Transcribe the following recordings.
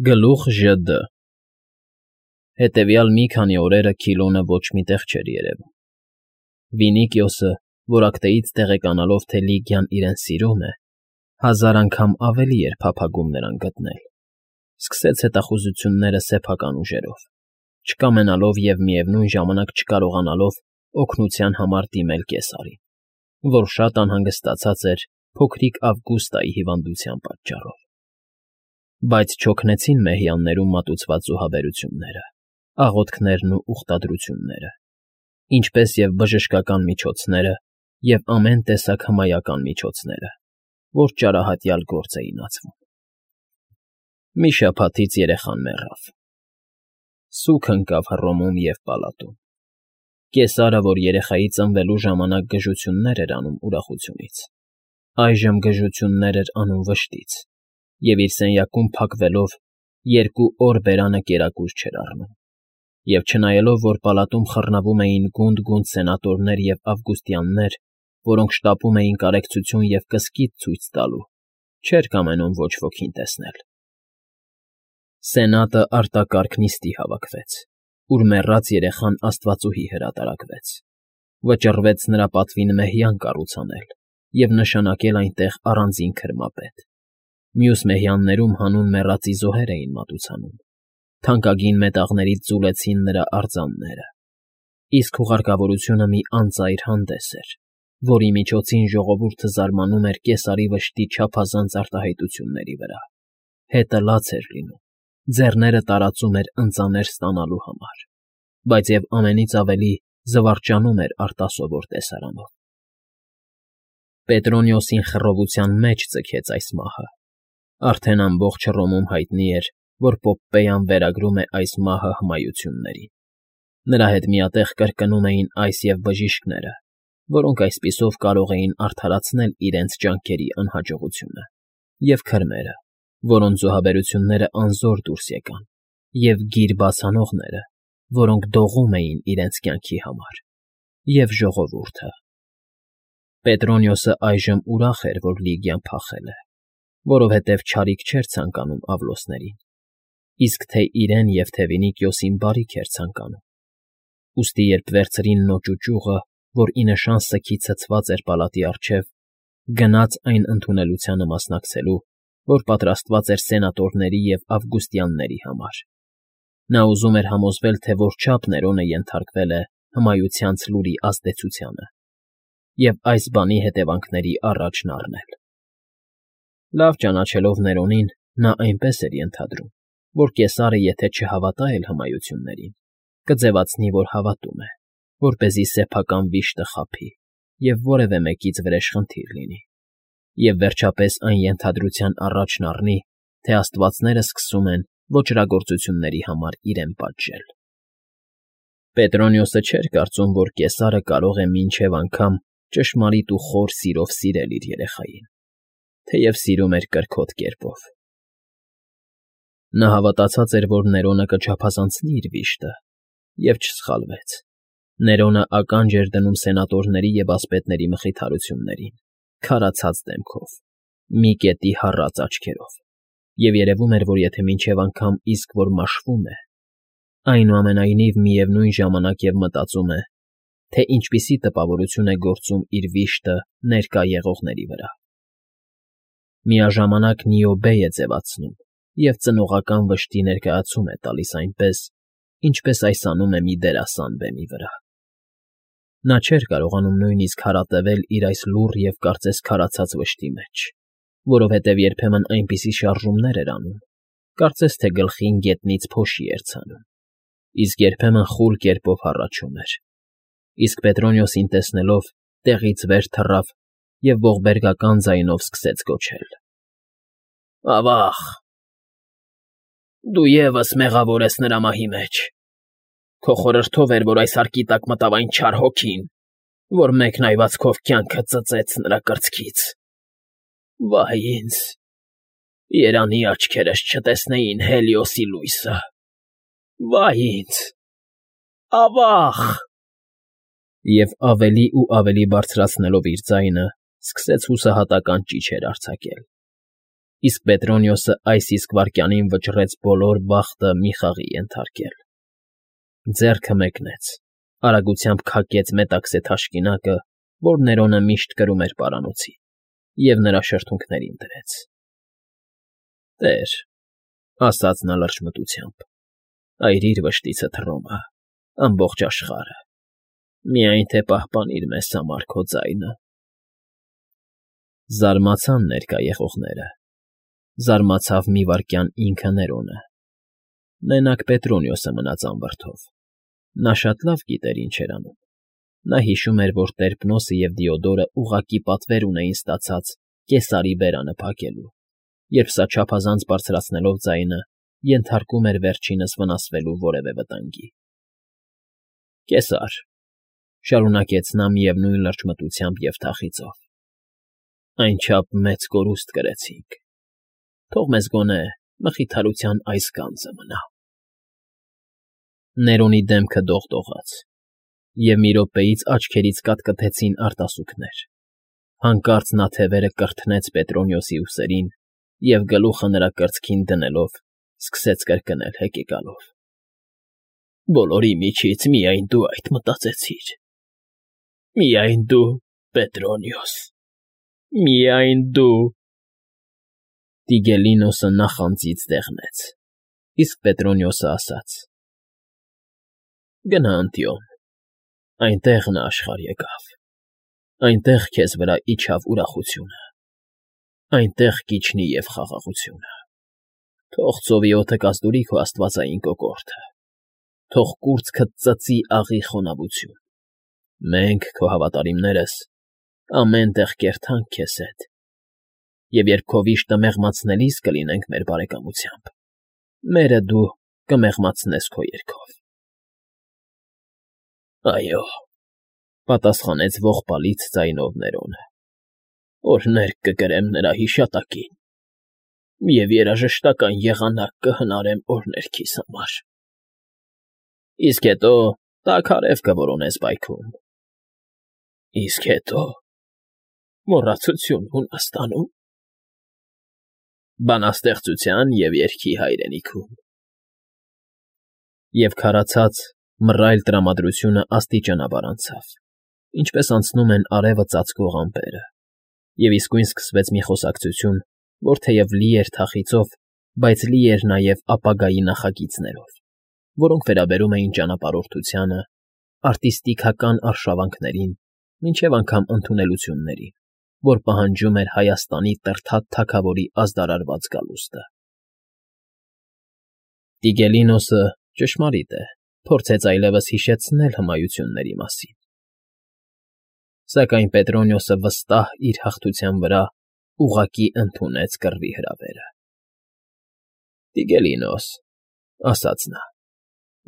Գլուխ ԺԴ Հետևյալ մի քանի օրերը Քիլոնը ոչ մի տեղ չէր երևում։ Վինիկիոսը, որակտեից տեղեկանալով, թե Լիգիան իրեն սիրում է, 1000 անգամ ավելի էր փափագում նրան գտնել, սկսեց հետախուզությունները սեփական ուժերով, չկամենալով և միևնույն ժամանակ չկարողանալով օգնության համար դիմել կեսարին, որ շատ անհանգստացած էր փոքրիկ Ավգուստայի հիվանդության պատճառով։ Բայց չօգնեցին մեհյաններում մատուցված զոհաբերությունները, աղոթքներն ու ուխտադրությունները, ինչպես և բժշկական միջոցները և ամեն տեսակ հմայական միջոցները, որ ճարահատյալ գործ էին ածվում։ Մի շաբաթից երեխան մեռավ։ Սուգ ընկավ Հռոմում և պալատում։ Կեսարը, որ երեխայի ծնվելու ժամանակ գժություններ էր անում ուրախությունից, այժմ գժություններ էր անում վշտից և իր սենյակում փակվելով 2 օր բերանը կերակուր չէր առնում, և չնայելով, որ պալատում խռնվում էին գունդ սենատորներ և ավգուստյաններ, որոնք շտապում էին կարեկցություն և կսկիթ ցույց տալու, չէր կամենում ոչ ոքին տեսնել։ Սենատը արտակարգ նիստի հավաքվեց, ուր մեռած երեխան աստվածուհի հրատարակվեց, վճռվեց նրա պատվին մեհյան կառուցանել և նշանակել այնտեղ առանձին քրմապետ։ Մյուս մեհյաններում հանուն մեռածի զոհեր էին մատուցանում, թանկագին մետաղներից ձուլեցին նրա արձանները, իսկ հուղարկավորությունը մի անծայր հանդես էր, որի միջոցին ժողովուրդը զարմանում էր կեսարի վշտի չափազանց արտահայտությունների վրա, հետը լաց էր լինում, ձեռները տարածում էր ընծաներ ստանալու համար, բայց և ամենից ավելի զվարճանում էր արտասովոր տեսարանով։ Պետրոնիոսին խռովության մեջ ձգեց այս մահը։ Արդեն ամբողջ Հռոմում հայտնի էր, որ Պոպպեյան վերագրում է այս մահը հմայություններին։ Նրա հետ միատեղ կրկնում էին այս և բժիշկները, որոնք այսպիսով կարող էին արդարացնել իրենց ջանքերի անհաջողությունը, և քրմերը, որոնց զոհաբերությունները անզոր դուրս եկան, և գիր բացանողները, որոնք դողում էին իրենց կյանքի համար, և ժողովուրդը։ Պետրոնիոսը այժմ ուրախ էր, որ Լիգիան փախել է, որովհետև չարիք չէր ցանկանում Ավլոսներին, իսկ թե իրեն և թե Վինիկիոսին բարիք էր ցանկանում։ Ուստի երբ վերցրին նոճ ու ճյուղը, որ ի նշան սգի ցցված էր պալատի առջև, գնաց այն ընդունելությանը մասնակցելու, որ պատրաստված էր սենատորների և ավգուստյանների համար։ Նա ուզում էր համոզվել, թե որչափ Ներոնը ենթարկվել է հմայությանց լուրի ազդեցությանը և այս բանի հետևանքների առաջն առնել։ Լավ ճանաչելով Ներոնին, նա այնպես էր ենթադրում, որ կեսարը եթե չհավատա էլ հմայություններին, կձևացնի, որ հավատում է, որպեսզի սեփական վիշտը խաբի և որևէ մեկից վրեժխնդիր լինի, և վերջապես այն ենթադրության առաջն առնի, թե աստվածները սկսում են ոճրագործությունների համար իրեն պատժել։ Պետրոնիոսը չէր կարծում, որ կեսարը կարող է մինչև անգամ ճշմարիտ ու խոր սիրով սիրել իր երեխային, թեև սիրում էր կրքոտ կերպով։ Նա հավատացած էր, որ Ներոնը կչափազանցնի իր վիշտը, և չսխալվեց։ Ներոնը ականջ էր դնում սենատորների և ասպետների մխիթարություններին, քարացած դեմքով, մի կետի հառած աչքերով, և երևում էր, որ եթե մինչև անգամ իսկ որ մաշվում է, այնուամենայնիվ միևնույն ժամանակ և մտածում է, թե ինչպիսի տպավորություն է գործում իր վիշտը ներկա եղողների վրա։ Միաժամանակ Նիոբե է ձևացնում և ծնողական վշտի ներկայացում է տալիս այնպես, ինչպես այս անում է մի դերասան բեմի վրա։ Նա չէր կարողանում նույնիսկ հարատևել իր այս լուռ և կարծես քարացած վշտի մեջ, որովհետև երբեմն այնպիսի շարժումներ էր անում, կարծես թե գլխին գետնից փոշի էր ցանում, իսկ երբեմն խուլ կերպով հառաչում էր, իսկ Պետրոնիոսին տեսնելով տեղից վեր թռավ և ողբերգական ձայնով սկսեց գոչել. «Ավա՜ղ, դու ևս մեղավոր ես նրա մահի մեջ։ Քո խորհրդով էր, որ այս հարկի տակ մտավ այն չար հոգին, որ մեկն այվածքով կյանքը ծծեց նրա կրծքից։ Վայ ինձ, երանի աչքերս չտեսնեին Հելիոսի լույսը։ Վայ ինձ, ավա՜ղ»։ Եվ ավելի ու ավելի բարձրացնելով իր ձայնը, սկսեց հուսահատական ճիչեր արձակել։ Իսկ Պետրոնիոսը այս իսկ վայրկյանին վճռեց բոլոր բախտը մի խաղի ենթարկել. ձեռքը մեկնեց, արագությամբ քակեց մետաքսե թաշկինակը, որ Ներոնը միշտ կրում էր պարանոցին, և նրա շրթունքներին դրեց։ «Տեր,֊ ասաց նա լրջմտությամբ,֊ այրիր վշտիցը Թռոմը, ամբողջ աշխարհը, միայն թե պահպանիր մեզ համար քո ձայնը»։ Զարմացան ներկա եղողները, զարմացավ մի վայրկյան ինքը Ներոնը, մենակ Պետրոնիոսը մնաց անվրդով, նա շատ լավ գիտեր ինչ էր անում, նա հիշում էր, որ Տերպնոսը և Դիոդորը ուղղակի պատվեր ունեին ստացած Կեսարի բերանը փակելու, երբ սա չափազանց բարձրացնելով ձայնը, ենթարկում էր վերջինս վնասվելու որևէ վտանգի։ «Կեսար,֊ շարունակեց նա միևնույն լրջմտությամբ և թախիծով,֊ այնչափ մեծ կորուստ կրեցինք, թող մեզ գոնե մխիթարության այս գանձը մնա»։ Ներոնի դեմքը դողդողաց, և մի րոպեից աչքերից կաթկթեցին արտասուքներ, հանկարծ նա թևերը կրթնեց Պետրոնիոսի ուսերին և գլուխը նրա կրծքին դնելով սկսեց կրկնել հեկեկալով. «Բոլորի միջից միայն դու այդ մտածեցիր, միայն դու, Պետրոնիոս, միայն դու»։ Տիգելինոսը նախանձից դեղնեց, իսկ Պետրոնիոսը ասաց. «Գնա Անտիոն, այնտեղ նա աշխարհ եկավ, այնտեղ քեզ վրա իջավ ուրախությունը, այնտեղ կիջնի և խաղաղությունը, թող ծովի օդը կազդուրի քո աստվածային կոկորդը, թող կուրծքդ ծծի աղի խոնավություն, մենք, քո հավատարիմներս, ամեն տեղ կերթանք քեզ հետ, և երբ քո վիշտը մեղմացնելիս կլինենք մեր բարեկամությամբ, մերը դու կմեղմացնես քո երգով»։ «Այո,֊ պատասխանեց ողբալից ձայնով Ներոնը,֊ օրհներ կկրեմ նրա հիշատակին և երաժշտական եղանակ կհնարեմ օրհներքիս համար»։ «Իսկ հետո տաք արև կորոնես պայքում»։ «Իսկ հետո մոռացություն հունաստանում»։ «Բանաստեղծության և երգի հայրենիքում»։ Եվ քարացած, մռայլ տրամադրությունը աստիճանաբար անցավ, ինչպես անցնում են արևը ծածկող ամպերը, և իսկույն սկսվեց մի խոսակցություն, որ թեև լի էր թախիծով, բայց լի էր նաև ապագայի նախագիծներով, որոնք վերաբերում էին ճանապարհորդությանը, արտիստիկական արշավանքներին, մինչև անգամ ընդունելություններին, որ պահանջում էր Հայաստանի Տրթատ թագավորի ազդարարված գալուստը։ Տիգելինոսը, ճշմարիտ է, փորձեց այլևս հիշեցնել հմայությունների մասին, սակայն Պետրոնիոսը վստահ իր հաղթության վրա ուղղակի ընդունեց կռվի հրավերը։ «Տիգելինոս,֊ ասաց նա,֊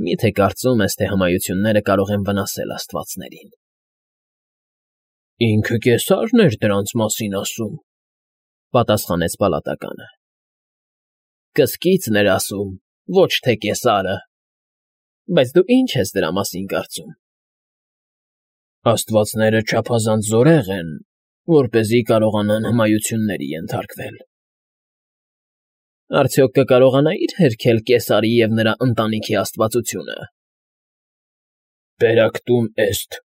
մի՞թե կարծում ես, թե հմայությունները կարող են վնասել աստվածներին»։ «Ինքը Կեսարն էր դրանց մասին ասում,֊ պատասխանեց պալատականը։ «Կսկիծն էր ասում, ոչ թե Կեսարը։ Բայց դու ի՞նչ ես դրա մասին կարծում»։ «Աստվածները չափազանց զորեղ են, որպեսզի կարողանան հմայությունների ենթարկվել»։ «Արդյոք կկարողանայիր հերքել Կեսարի և նրա ընտանիքի աստվածությունը»։ «Պերակտում էստ,֊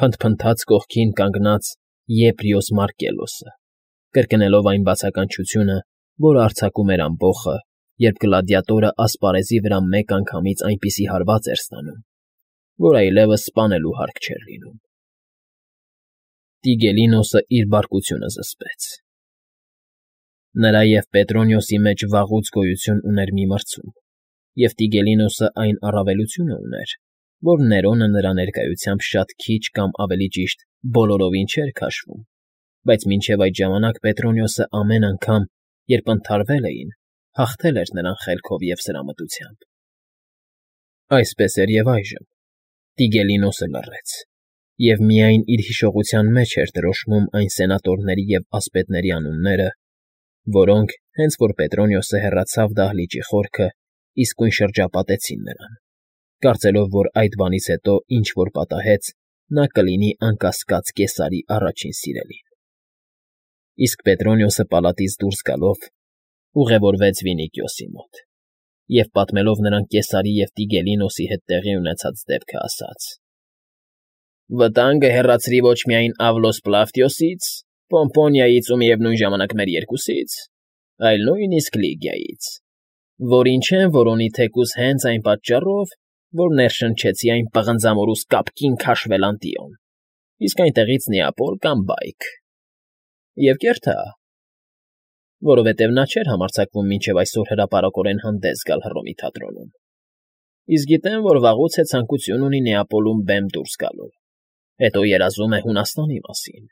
փնթփնթաց կողքին կանգնած Եպրիոս Մարկելոսը, կրկնելով այն բացականչությունը, որը արձակում էր ամբոխը, երբ գլադիատորը ասպարեզի վրա մեկ անգամից այնպիսի հարված էր ստանում, որ այլևս սպանելու հարկ չէր լինում։ Տիգելինոսը իր բարկությունը զսպեց։ Նրա և Պետրոնիոսի մեջ վաղուց գոյություն ուներ մի մրցում, և Տիգելինոսը այն առավելությունը ուներ, որ Ներոնը նրա ներկայությամբ շատ քիչ կամ ավելի ճիշտ բոլորովին չէր քաշվում, բայց մինչև այդ ժամանակ Պետրոնիոսը ամեն անգամ, երբ ընդհարվել էին, հաղթել էր նրան խելքով և սրամտությամբ։ Այսպես էր և այժմ. Տիգելինոսը լռեց, և միայն իր հիշողության մեջ էր դրոշմում այն սենատորների և ասպետների անունները, որոնք, հենց որ Պետրոնիոսը հեռացավ դահլիճի խորքը, իսկույն շրջապատեցին նրան, կարծելով, որ այդ բանից հետո ինչ որ պատահեց, նա կլինի անկասկած Կեսարի առաջին սիրելին։ Իսկ Պետրոնիոսը պալատից դուրս գալով ուղևորվեց Վինիքիոսի մոտ և, պատմելով նրան Կեսարի և Տիգելինոսի հետ տեղի ունեցած դեպքը, ասաց. «Վտանգը հեռացրի ոչ միայն Ավլոս Պլավտիոսից, Պոմպոնիայից ու միևնույն ժամանակ մեր երկուսից, այլ նույնիսկ Լիգիայից, որին չեմ որոնի թեկուզ հենց այն պատճառով, որ ներշնչեցի այն պղնձամորուս կապկին քաշվել Անտիոն, իսկ այնտեղից Նեապոլ կամ Բայք։ Եվ կերթը, որովհետև նա չէր համարձակվում մինչև այսօր հրապարակորեն հանդես գալ Հռոմի թատրոնում, իսկ գիտեմ, որ վաղուց է ցանկություն ունի Նեապոլում բեմ դուրս գալու, հետո երազում է Հունաստանի մասին,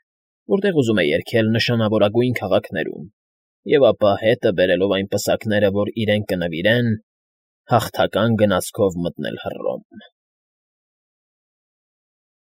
որտեղ ուզում է երգել նշանավորագույն քաղաքներում և ապա հետը բերելով այն պսակները, որ իրեն կնվիրեն, հաղթական գնացքով մտնել Հռոմ»։